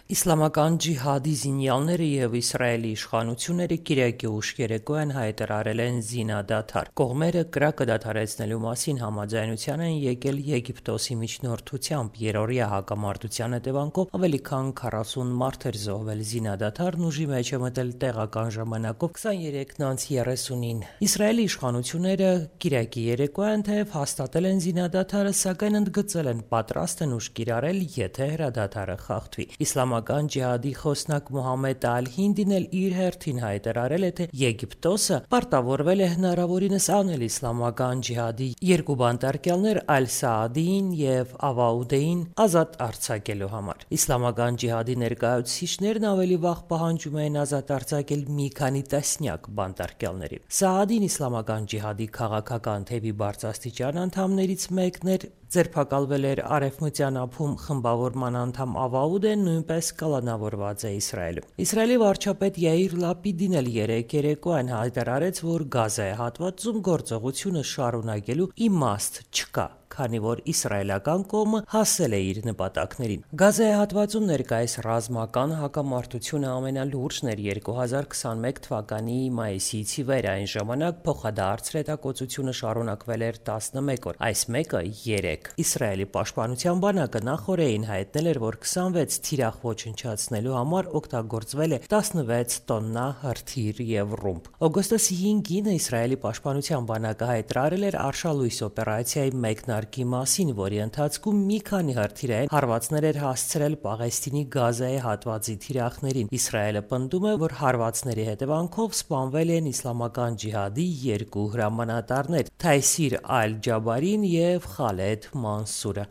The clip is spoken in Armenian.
Իսլամական ջիհադի զինյալները և Իսրայելի իշխանությունները կիրակի ուշ երեկոյան հայտարարել են զինադադար։ Կողմերը կրակը դադարեցնելու մասին համաձայնության են եկել Եգիպտոսի միջնորդությամբ։ Երօրյա հակամարտության հետևանքով ավելի քան 40 մարդ էր զոհվել։ Զինադադարն ուժի մեջ է մտել տեղական ժամանակով 23:30-ին։ Իսրայելի իշխանությունները կիրակի երեկոյան թեև հաստատել են զինադադարը, սակայն ընդգծել են պատրաստ են ուժ կիրառել, եթե հրադադարը խախտվի։ Իսլամական ջիհադի խոսնակ Մոհամմեդ Ալ-Հինդին էլ իր հերթին հայտարարել է, թե Եգիպտոսը պարտավորվել է հնարավորինս անել իսլամական ջիհադի երկու բանտարկյալներ Ալ-Սաադիին և Ավաուդեին ազատ արձակելու համար։ Իսլամական ջիհադի ներկայացուցիչներն ավելի վաղ պահանջում էին ազատ արձակել մի քանի տասնյակ բանտարկյալների։ Սաադին իսլամական ջիհադի քաղաքական թևի բարձրաստիճան անդամներից մեկն էր, ձերբակալվել էր Արևմտյան ափում խմբավորման անդամ Ավաուդեն նույնպես կալանավորված է Իսրայելում։ Իսրայելի վարչապետ Յայիր Լապիդին էլ երեկոյան հայտարարեց, որ Գազայի հատվածում գործողությունը շարունակելու իմաստ չկա, քանի որ իսրայելական կողմը հասել է իր նպատակներին։ Գազայի հատվածում ներկայիս ռազմական հակամարտությունը ամենալուրջն էր 2021 թվականի մայիսից ի վեր։ Այն ժամանակ փոխադարձ հետակոծությունը շարունակվել էր 11 օր, այս մեկը 3։ Իսրայելի պաշտպանության բանակը նախօրեին հայտնել էր, որ 26 թիրախ ոչնչացնելու համար օգտագործվել է 16 տոննա հրթիռ և ռումբ։ Օգոստոսի 5-ին Իսրայելի պաշտպանության բանակը հայտարարել էր արշալույս օպերացիայի մեկնարկի մասին, որի ընթացքում մի քանի հրթիռային հարվածներ էր հասցրել Պաղեստինի Գազայի հատվածի թիրախներին։ Իսրայելը պնդում է, որ հարվածների հետևանքով սպանվել են իսլամական ջիհադի երկու հրամանատարներ՝ Թայսիր Ալ-Ջաբարին և Խալեդ Մանսուրը։